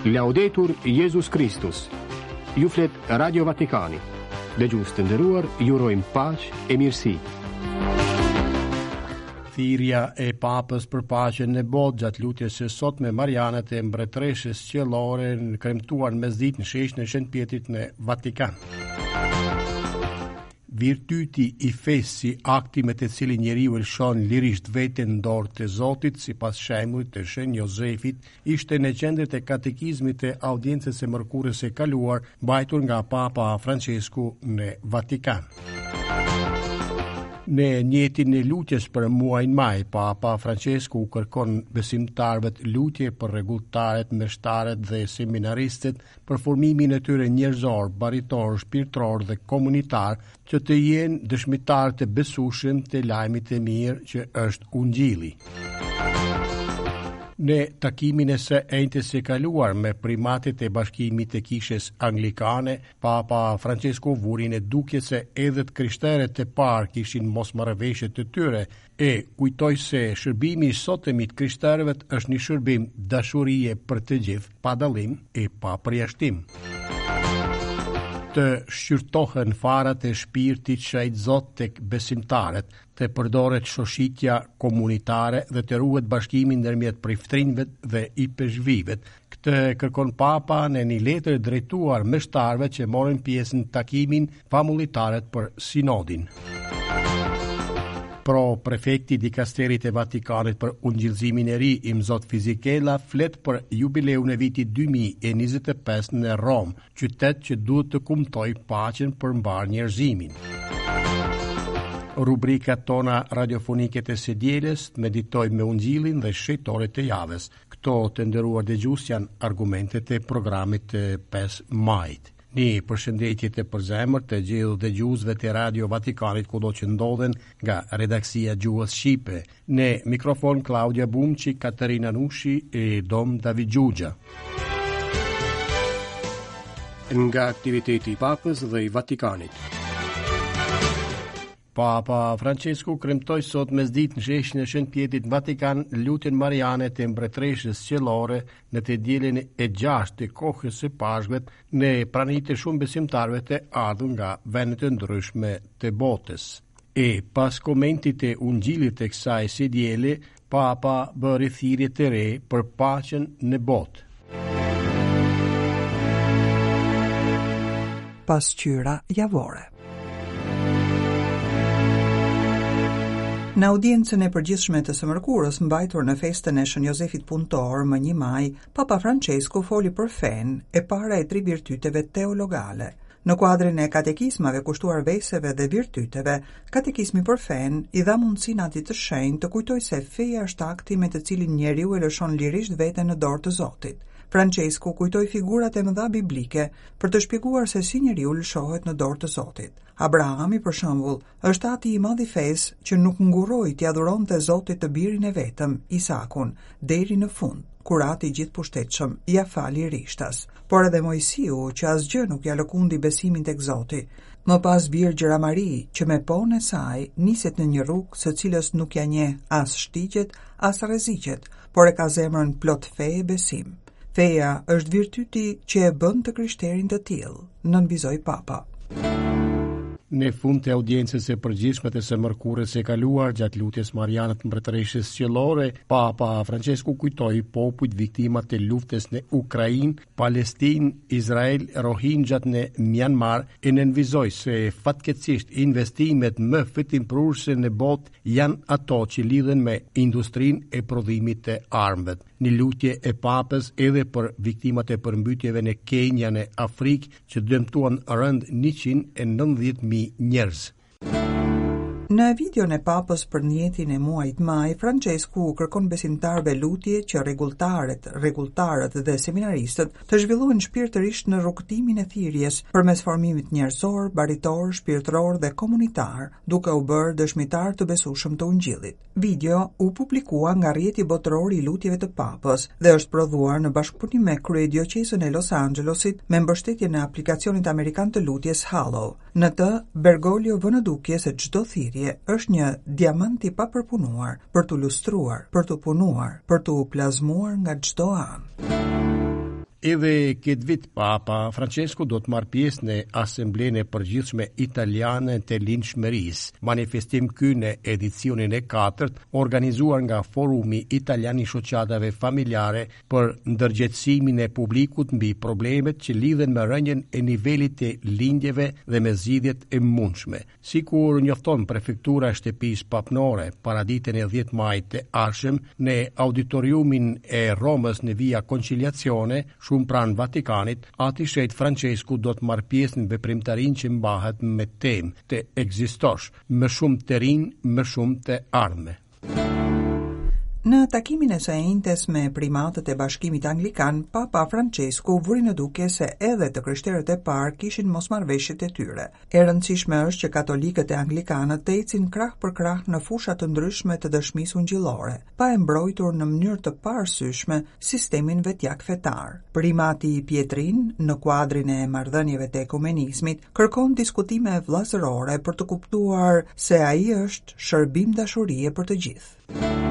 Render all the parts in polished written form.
Laudetur Jezus Kristus. Ju flet Radio Vatikani. Dëgjues të nderuar, ju urojmë paqe e mirësi. Thirrja e Papës për paqen në botë gjatë lutjes së sotme mariane të Mbretëreshës Qiellore kremtuar në mesditë në sheshin e Shën Pjetrit në Vatikan. Virtyti i fesë si akti me të cilin njeriu e lëshon lirisht veten në dorë të Zotit, sipas shembullit të Shën Jozefit, ishte në qendër të katekizmit të audiencës së mërkurës së kaluar, mbajtur nga Papa Françesku në Vatikan. Në njetin e lutjes për muajin maj, Papa Françesku u kërkon besimtarëve lutje për rregulltarët, meshtarët dhe seminaristët për formimin e tyre njerëzor, baritor, shpirtëror dhe komunitar, që të jenë dëshmitarë të besueshëm të lajmit të mirë që është Ungjilli. Në takimin e së enjtes së kaluar me primatët e Bashkimit të Kishës Anglikane, Papa Françesku vuri në dukje se edhe të krishterët e parë kishin mosmarrëveshjet e tyre, E kujtoi se shërbimi i sotëm i të krishterëve është një shërbim dashurie për të gjithë, pa dallim e pa përjashtim. Të shqyrtohen farat e shpirtit shenjt Zot tek besimtarët, të përdoret shoshitja komunitare dhe të ruhet bashkimi ndërmjet priftërinjve dhe ipeshkvijve. Këtë e kërkon Papa në një letër drejtuar meshtarëve që morën pjesë në takimin famullitarët për sinodin. Pro prefekti i dikasterit të Vatikanit për Ungjillëzimin e Ri, Imzot Fisichella, flet për jubileun e vitit 2025 në Romë, qytet që duhet të kumtojë paqen për mbarë njerëzimin. Rubrikat tona radiofonike të së dielës, meditojmë me Ungjillin dhe shenjtorët e javës. Këto të nderuar dëgjues janë argumentet e programit të 5 majit. Një përshëndetje të përzemërt të gjithë dëgjuesve të Radio Vatikanit kudo që ndodhen nga redaksia e gjuhës shqipe. Në mikrofon Klaudia Bumçi, Katerina Nushi e Dom David Xhuxha. Nga aktiviteti i Papës dhe i Vatikanit. Papa Françesku kremtoi sot mesditë në sheshin e Shën Pjetrit në Vatikan lutjen mariane të Mbretëreshës Qiellore në të dielën e gjashtë të kohës së Pashkëve në prani të shumë besimtarëve të ardhur nga vende të ndryshme të botës. E pas komentit të Ungjillit të kësaj së diele, Papa bëri thirrje të re për paqen në botë. Pasqyra javore. Në audiencën e përgjithshme të së mërkurës, mbajtur në festën e Shën Jozefit Punëtor më 1 maj, Papa Francesku foli për fenë, e para e tri virtyteve teologale. Në kuadrin e katekizmave kushtuar veseve dhe virtyteve, katekizmi për fenë i dha mundësinë Atit të Shenjtë të kujtojë se feja është akti me të cilin njeriu e lëshon lirisht veten në dorë të Zotit. Françesku kujtoi figurat e mëdha biblike për të shpjeguar se si njeriu lëshohet në dorë të Zotit. Abrahami, për shembull, është ati i madh i fesë që nuk ngurroi t'ia dhuronte Zotit të birin e vetëm, Isakun, deri në fund, kur Ati i Gjithëpushtetshëm ia fali rishtas. Por edhe Moisiu, që asgjë nuk ia lëkundi besimin tek Zoti. Më pas Virgjëra Mari, që me po-në e saj niset në një rrugë së cilës nuk ia njeh as shtigjet, as rreziqet, por e ka zemrën plot fe e besim. Feja është virtyti që e bën të krishterin të tillë, nënvizoi Papa. Në fund të audiencës së përgjithshme të së mërkurës së kaluar gjatë lutjes mariane të Mbretëreshës Qiellore, Papa Francesku kujtoi popujt viktima të luftës në Ukrainë, Palestinë, Izrael, Rohingjat në Myanmar e nënvizoi se fatkeqësisht investimet më fitimprurëse në botë janë ato që lidhen me industrinë e prodhimit të armëve. Një lutje e Papës edhe për viktimat e përmbytjeve në Kenia në Afrikë që dëmtuan rëndë 190.000 njerëz. Në videon e Papës për njetin e muajit maj, Françesku u kërkon besimtarëve lutje që rregulltaret, rregulltarët dhe seminaristët të zhvillohen shpirtërisht në rrugëtimin e thirrjes përmes formimit njerëzor, baritor, shpirtëror dhe komunitar, duke u bërë dëshmitarë të besueshëm të Ungjillit. Video u publikua nga rrjeti botëror i lutjeve të Papës dhe është prodhuar në bashkëpunim me kryedioqezën e Los Angelosit me mbështetjen e aplikacionit amerikan të lutjes Hallow. Në të, Bergoglio vë në dukje se çdo thirrje është një diamant i papërpunuar për t'u lustruar, për t'u punuar, për t'u plazmuar nga çdo anë. Edhe këtë vit Papa Francesku do të marrë pjesë në Asamblenë e Përgjithshme Italiane të Lindshmërisë, manifestim ky në edicionin e katërt, organizuar nga Forumi Italian i Shoqatave Familjare për ndërgjegjësimin e publikut mbi problemet që lidhen me rënien e nivelit të lindjeve dhe me zgjidhjet e mundshme. Sikur njofton prefektura e Shtëpisë Papnore, paraditen e 10 majit të ardhshëm në auditoriumin e Romës në Via Conciliazione, shumë pranë Vatikanit, Ati i Shenjtë Françesku do të marrë pjesë në veprimtarinë që mbahet me temë të ekzistosh, më shumë të rinj, më shumë të ardhme. Në takimin e së enjtes me primatët e Bashkimit Anglikan, Papa Françesku vuri në dukje se edhe të krishterët e parë kishin mosmarrëveshjet e tyre. E rëndësishme është që katolikët e anglikanët të ecin krah për krah në fusha të ndryshme të dëshmisë ungjillore, pa e mbrojtur në mënyrë të paarsyeshme sistemin vetjak fetar. Primati Pietrin, në kuadrin e marrëdhënieve të ekumenizmit, kërkon diskutime vëllazërore për të kuptuar se ai është shërbim dashurie për të gjithë.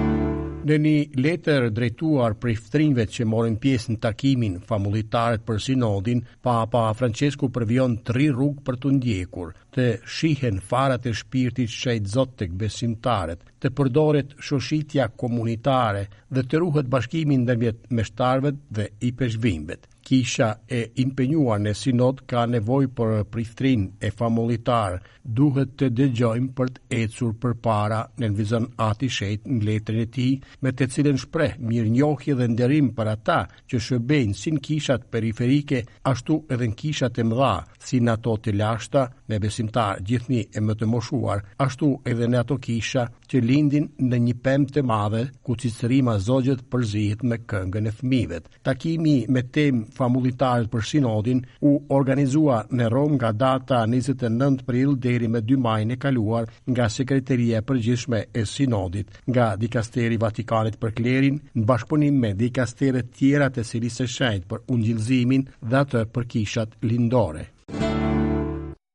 Në një letër drejtuar priftërinjve që morën pjesë në takimin famullitarët për sinodin, Papa Francesku përvijon tri rrugë për t'u ndjekur, të shihen farat e shpirtit shenjt tek besimtarët, të përdoret shoshitja komunitare dhe të ruhet bashkimi ndërmjet meshtarëve dhe ipeshkvinjve. Kisha e impenjuar në sinod ka nevojë për priftërinj e famullitarë, duhet të dëgjojmë për të ecur përpara, nënvizon Ati i Shenjtë në letrën e tij, me të cilën shpreh mirënjohje dhe nderim për ata që shërbejnë si në kishat periferike, ashtu edhe në kishat e mëdha, si në ato të lashta, me besimtarë gjithnjë e më të moshuar, ashtu edhe në ato kisha që lindin në një pemë të madhe ku cicërima e zogjve përzihet me këngën e fëmijëve. Takimi me temë famullitarët për sinodin u organizua në Romë nga data 29 prill deri më 2 majin e kaluar nga Sekreteria e Përgjithshme e Sinodit, nga Dikasteri i Vatikanit për Klerin, në bashkëpunim me dikasteret tjera të Selisë së Shenjtë për Ungjillëzimin dhe atë për kishat lindore.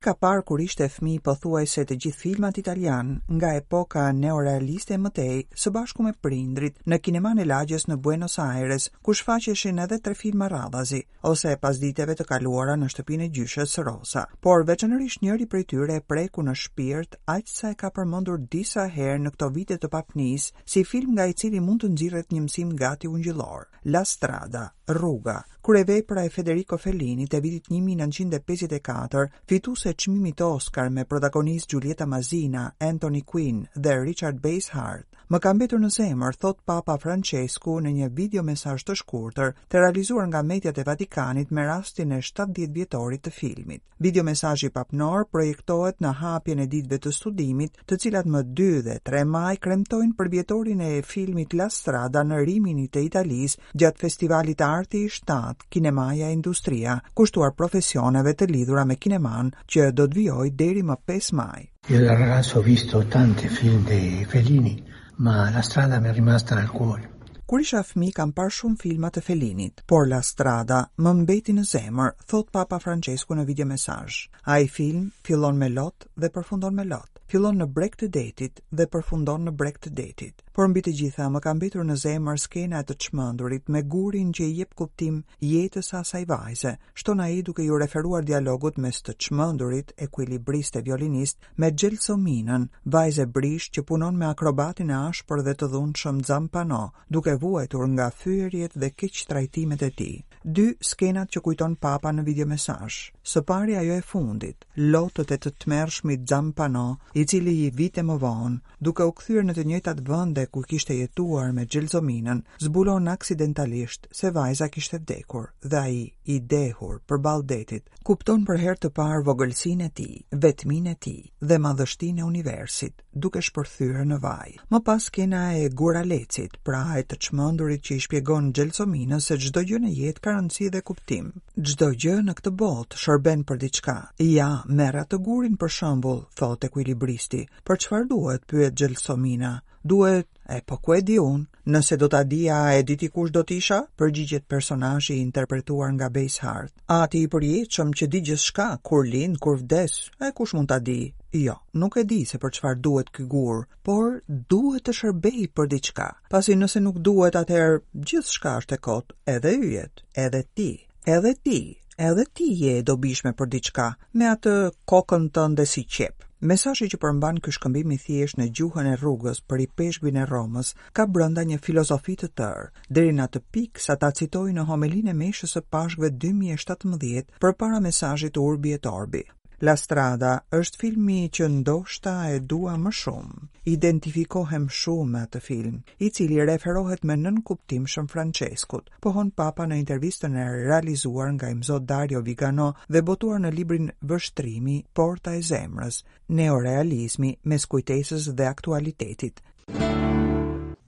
Ka parë kur ishte fëmijë pothuajse të gjithë filmat italianë, nga epoka neorealiste e më tej, së bashku me prindërit, në kinemanë e lagjes në Buenos Aires, ku shfaqeshin edhe tre filma radhazi, ose pasditeve të kaluara në shtëpinë e gjyshes Rosa. Por veçanërisht njëri prej tyre e preku në shpirt, aq sa e ka përmendur disa herë në këto vite të papnisë, si film nga i cili mund të nxirret një mësim gati ungjillor, La Strada, Rruga, Kryevepra e Federico Fellinit e vitit 1954, fituese e çmimit Oscar me protagonistë Giulietta Masina, Anthony Quinn dhe Richard Basehart, më ka mbetur në zemër, thotë Papa Francesku në një videomesazh të shkurtër, të realizuar nga mediat e Vatikanit me rastin e 70 vjetorit të filmit. Videomesazhi papnor projektohet në hapjen e ditëve të studimit, të cilat më 2 dhe 3 maj kremtojnë përvjetorin e filmit La Strada në Rimini të Italisë gjatë festivalit Arti i 7, Kinemaja e Industria, kushtuar profesioneve të lidhura me kinemanë, që do të vijojë deri më 5 maj. Io da ragazzo ho visto tanti film di Fellini, ma La Strada mi è rimasta nel cuore. Kur isha fëmijë kam parë shumë filma të Fellinit, por La Strada më mbeti në zemër, thotë Papa Francesku në videomesazh. Ai film fillon me lot dhe përfundon me lot. Fillon në breg të detit dhe përfundon në breg të detit. Por mbi të gjitha më ka mbetur në zemër skena e të çmendurit me gurin që i jep kuptim jetës së asaj vajze, shton ai duke iu referuar dialogut mes të çmendurit, ekuilibrist e violinist, me Xhelsominën, vajzë e brishtë që punon me akrobatin e ashpër dhe të dhunshëm Zampano, duke vuajtur nga fyerjet dhe keqtrajtimet e tij. Dy skenat që kujton Papa në videomesazh. Së pari ajo e fundit, lotët e të tmerrshmit Zampano, i cili vite më vonë, duke u kthyer në të njëjtat vende ku kishte jetuar me Xhelsominën, zbulon aksidentalisht se vajza kishte vdekur dhe ai, i dehur përballë detit, kupton për herë të parë vogëlsinë e tij, vetminë e tij dhe madhështinë e universit, duke shpërthyer në vaj. Më pas skena e guralecit, pra e të çmendurit që i shpjegon Xhelsominës se çdo gjë në jetë ka rëndësi dhe kuptim. Çdo gjë në këtë botë shërben për diçka. Ja, merr atë gurin për shembull, thotë ekuilibristi. Për çfarë duhet, pyet Xhelsomina. Duhet, e po ku e di unë? Nëse do ta dija, e di ti kush do të isha? Përgjigjet personazhi i interpretuar nga Basehart. Ati i përjetshëm që di gjithçka, kur lind, kur vdes, e kush mund ta di? Jo, nuk e di se për çfarë duhet ky gur, por duhet të shërbejë për diçka. Pasi nëse nuk duhet, atëherë gjithçka është e kotë, edhe yjet, edhe ti. Edhe ti, edhe ti je e dobishme për diçka, me atë kokën tënde si qepë. Mesazhi që përmban ky shkëmbim i thjeshtë në gjuhën e rrugës për ipeshkvin e Romës ka brenda një filozofi të tërë, deri në atë pikë sa ta citojë në homelinë e meshës së Pashkëve 2017 përpara mesazhit Urbi et Orbi. La Strada është filmi që ndoshta e dua më shumë. Identifikohem shumë me atë film, i cili i referohet me nënkuptim Shën Françeskut, pohon Papa në intervistën e realizuar nga Imzot Dario Vigano dhe botuar në librin Vështrimi, Porta e Zemrës, Neorealizmi mes kujtesës dhe aktualitetit.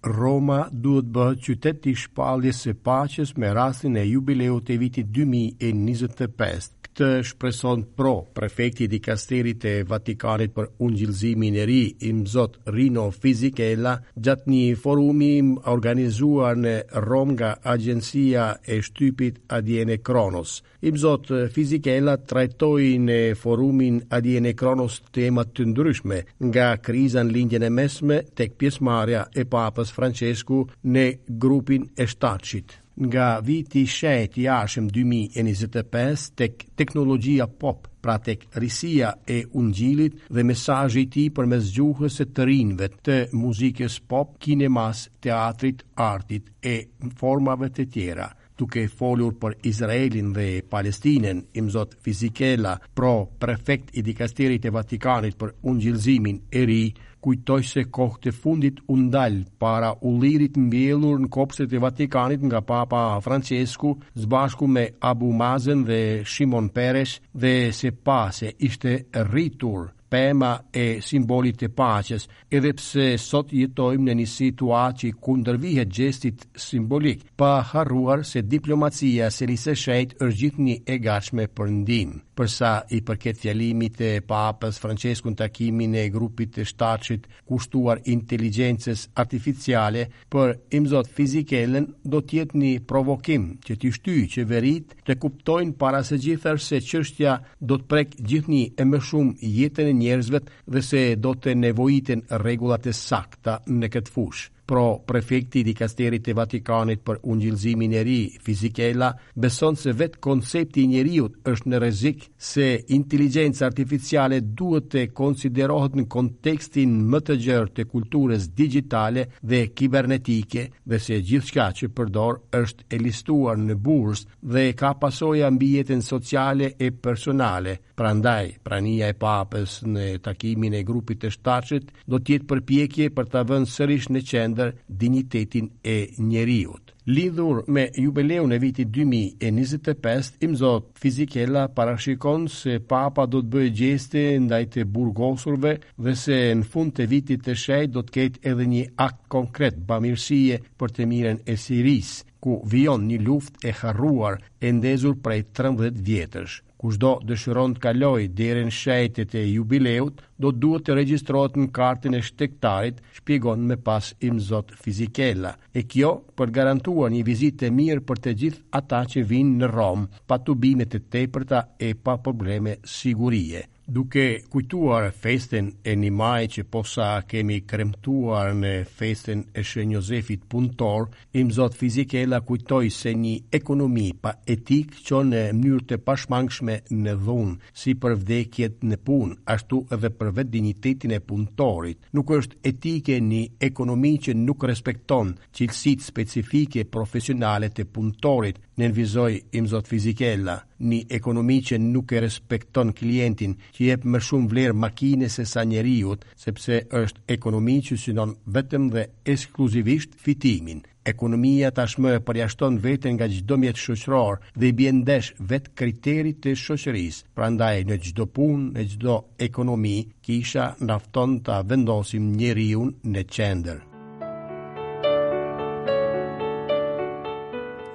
Roma duhet të bëhet qytet i shpalljes së paqes me rastin e jubileut të vitit 2025. Këtë shpreson pro prefekti i dikasterit të Vatikanit për Ungjillëzimin e Ri, Imzot Rino Fisichella, gjatë një forumi organizuar në Romë nga agjencia e shtypit ADN Kronos. Imzot Fisichella trajtoi në forumin ADN Kronos tema të ndryshme, nga kriza në Lindjen e Mesme tek pjesëmarrja e Papës Françesku në grupin e Shtatshit, nga viti i shenjtë i ardhshëm 2025 tek teknologjia pop, pra tek risia e Ungjillit dhe mesazhi i tij përmes gjuhës së të rinjve, të muzikës pop, kinemas, teatrit, artit e formave të tjera. Duke folur për Izraelin dhe Palestinën, Imzot Fisichella, pro prefekt i dikasterit të Vatikanit për Ungjillëzimin e Ri, kujtoi se kohët e fundit u ndal para ullirit mbjellur në kopshtet e Vatikanit nga Papa Françesku së bashku me Abu Mazen dhe Shimon Peres dhe se pa se ishte rritur pema e simbolit të paqes, edhe pse sot jetojmë në një situatë që i kundërvihet gjestit simbolik, pa harruar se diplomacia e Selisë së Shenjtë është gjithnjë e gatshme për ndihmë. Për sa i përket fjalimit të Papës Françesku në takimin e grupit të Shtatshit kushtuar inteligjencës artificiale, Për Imzot Fisichellën do të jetë një provokim që t'i shtyjë qeveritë të kuptojnë para së gjithash se çështja do të prekë gjithnjë e më shumë jetën e njerëzve dhe se do të nevojiten rregulla të sakta në këtë fushë. Pro prefekti i dikasterit të Vatikanit për Ungjillëzimin e Ri, Fisichella, beson se vetë koncepti i njeriut është në rrezik se inteligjenca artificiale duhet të konsiderohet në kontekstin më të gjerë të kulturës digjitale dhe kibernetike dhe se gjithçka që përdor është e listuar në bursë dhe ka pasoja mbi jetën sociale e personale. Prandaj, prania e Papës në takimin e grupit të Shtatshit do të jetë përpjekje për ta vënë sërish në qendër dinjitetin e njeriut. Lidhur me jubileun e vitit 2025, Imzot Fisichella parashikon se Papa do të bëjë gjeste ndaj të burgosurve dhe se në fund të vitit të shenjtë do të ketë edhe një akt konkret bamirësie për të mirën e Sirisë, ku vijon një luftë e harruar e ndezur prej 13 vjetësh. Kushdo dëshiron të kalojë derën e shenjtë të jubileut, do të duhet të regjistrohet në kartën e shtegtarit, shpjegon më pas Imzot Fisichella. E kjo për të garantuar një vizitë të mirë për të gjithë ata që vijnë në Romë, pa tubime të tepërta e pa probleme sigurie. Duke kujtuar festën e një majit që posa kemi kremtuar në festën e Shën Jozefit Punëtor, Imzot Fisichella kujtoi se një ekonomi pa etikë çon në mënyrë të pashmangshme në dhunë, si për vdekjet në punë, ashtu edhe për vetë dinjitetin e punëtorit. Nuk është etike një ekonomi që nuk respekton cilësitë specifike profesionale të punëtorit, nënvizoi Imzot Fisichella. Një ekonomi që nuk e respekton klientin, që i jep më shumë vlerë makinës sesa njeriut, sepse është ekonomi që synon vetëm dhe ekskluzivisht fitimin. Ekonomia tashmë e përjashton veten nga çdo mjet shoqëror dhe i bie ndesh vetë kriterit të shoqërisë. Prandaj në çdo punë, në çdo ekonomi, kisha na fton ta vendosim njeriun në qendër.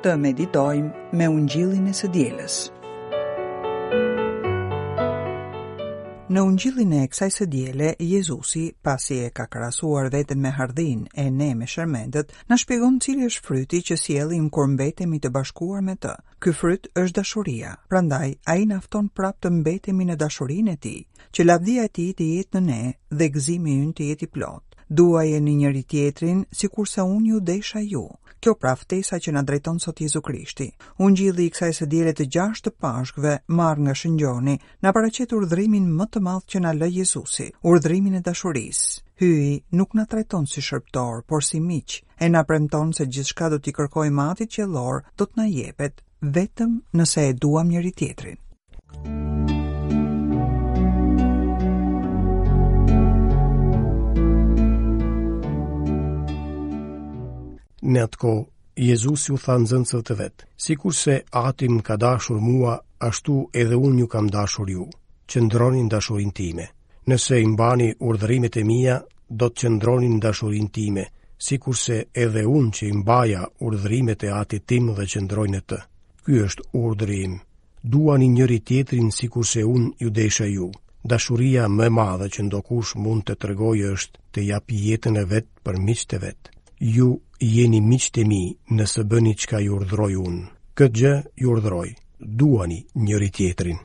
Të meditojmë me ungjillin e së dielës. Në ungjillin e kësaj së diele, Jezusi, pasi e ka krahasuar veten me hardhinë e ne me shermendët, na shpjegon cili është fryti që sjellim kur mbetemi të bashkuar me të. Ky fryt është dashuria, prandaj ai na fton prapë të mbetemi në dashurinë e tij, që lavdia e tij të jetë në ne dhe gëzimi ynë të jetë i plotë. Duajeni njëri-tjetrin sikurse unë ju desha ju. Kjo pra ftesa që na drejton sot Jezu Krishti. Ungjilli i kësaj së diele të gjashtë të Pashkëve, marrë nga Shën Gjoni, na paraqet urdhërimin më të madh që na lë Jezusi, urdhërimin e dashurisë. Hyji nuk na trajton si shërbëtorë, por si miq, e na premton se gjithçka do t'i kërkojmë Atit Qiellor, do të na jepet, vetëm nëse e duam njëri-tjetrin. Në atë kohë, Jezusi u tha nxënësve të vet: Sikurse Ati më ka dashur mua, ashtu edhe unë ju kam dashur ju. Qëndroni në dashurinë time. Nëse i mbani urdhërimet e mia, do të qëndroni në dashurinë time, sikurse edhe unë që i mbaja urdhërimet e Atit tim dhe qëndroj në të. Ky është urdhri im. Duani njëri-tjetrin sikurse unë ju desha ju. Dashuria më e madhe që ndokush mund të tregojë është të japë jetën e vet për miqtë e vet. Ju jeni miqtë e mi nëse bëni çka ju urdhëroj unë. Këtë gjë ju urdhëroj. Duani njëri-tjetrin.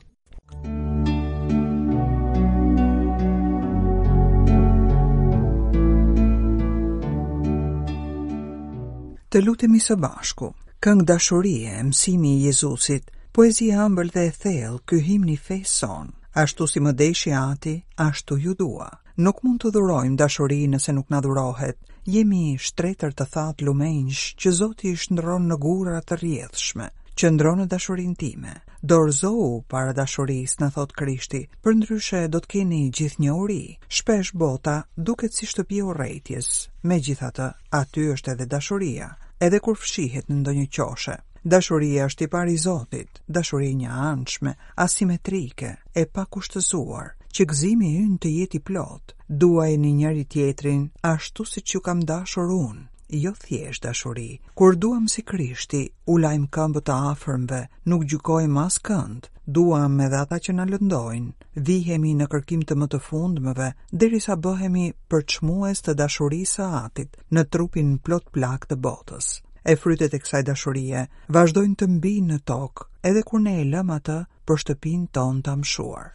Të lutemi së bashku. Këngë dashurie, mësimi i Jezusit, poezi e ëmbël dhe e thellë, ky himn i fesë sonë. Ashtu si më deshi Ati, ashtu ju dua. Nuk mund të dhurojmë dashuri nëse nuk na dhurohet. Jemi shtretër të thatë lumenjsh që Zoti i shndërron në gurra të rrjedhshme. Qëndro në dashurinë time. Dorëzohu para dashurisë, na thotë Krishti, përndryshe do të keni gjithnjë uri. Shpesh bota duket si shtëpi e urrejtjes, megjithatë, aty është edhe dashuria, edhe kur fshihet në ndonjë qoshe. Dashuria është tipar i Zotit, dashuri e njëanshme, asimetrike, e pakushtëzuar, që gëzimi ynë të jetë i plotë. Duajeni njëri-tjetrin ashtu siç ju kam dashur unë. jo thjesht dashuri. Kur duam si Krishti, u lajmë këmbët të afërmve, nuk gjykojmë askënd, duam edhe ata që na lëndojnë, vihemi në kërkim të më të fundmëve, derisa bëhemi përçmues të dashurisë së Atit në trupin plot plagë të botës. E frytet e kësaj dashurie vazhdojnë të mbijnë në tokë, edhe kur ne e lëmë atë për shtëpinë tonë të amshuar.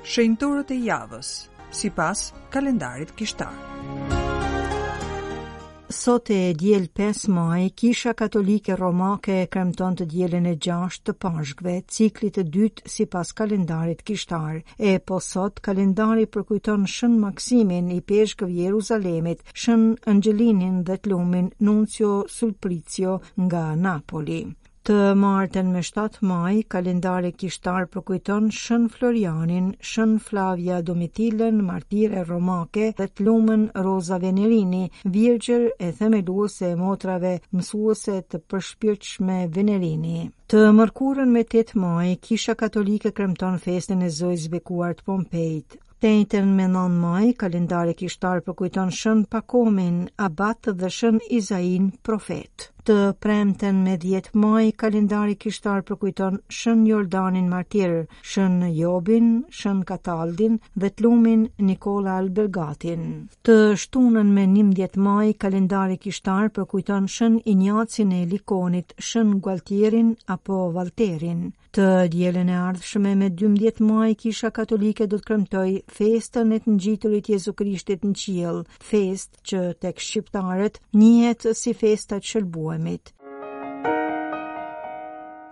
Shenjtorët e javës, sipas kalendarit kishtar. Sot e diel 5 maj, Kisha Katolike Romake e kremton të dielën e 6 të Pashkëve, ciklit të dytë sipas kalendarit kishtar. E po sot, kalendari përkujton Shën Maksimin, ipeshkëv i Jeruzalemit, Shën Angjelinin dhe të lumin Nuncio Sulprizio nga Napoli. Të martën me 7 maj, kalendari kishtar përkujton Shën Florianin, Shën Flavia Domitilën, martire romake dhe të lumën Roza Venerini, virgjër e themeluese e motrave mësuese të përshpirtshme Venerini. Të mërkurën me 8 maj, Kisha Katolike kremton festën e Zojës së Bekuar të Pompejt. Të enjten me 9 maj, kalendari kishtar përkujton Shën Pakomin, abat dhe Shën Izain, profet. Të premten me 10 maj, kalendari kishtar përkujton Shën Jordanin martir, Shën Jobin, Shën Kataldin dhe të lumin Nikola Albergatin. Të shtunën me 11 maj, kalendari kishtar përkujton Shën Injacin e Likonit, Shën Gualtierin apo Valterin. Të dielën e ardhshme me 12 maj Kisha Katolike do të kremtojë festën e të ngjiturit Jezu Krishtit në qiell, festë që tek shqiptarët njihet si festa e të shëlbuemit.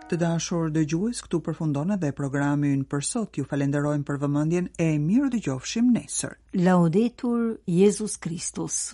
Të dashur dëgjues, këtu përfundon edhe programi ynë për sot. Ju falenderojmë për vëmendjen e mirudëgjofshim nesër. Laudetur Jezus Kristus.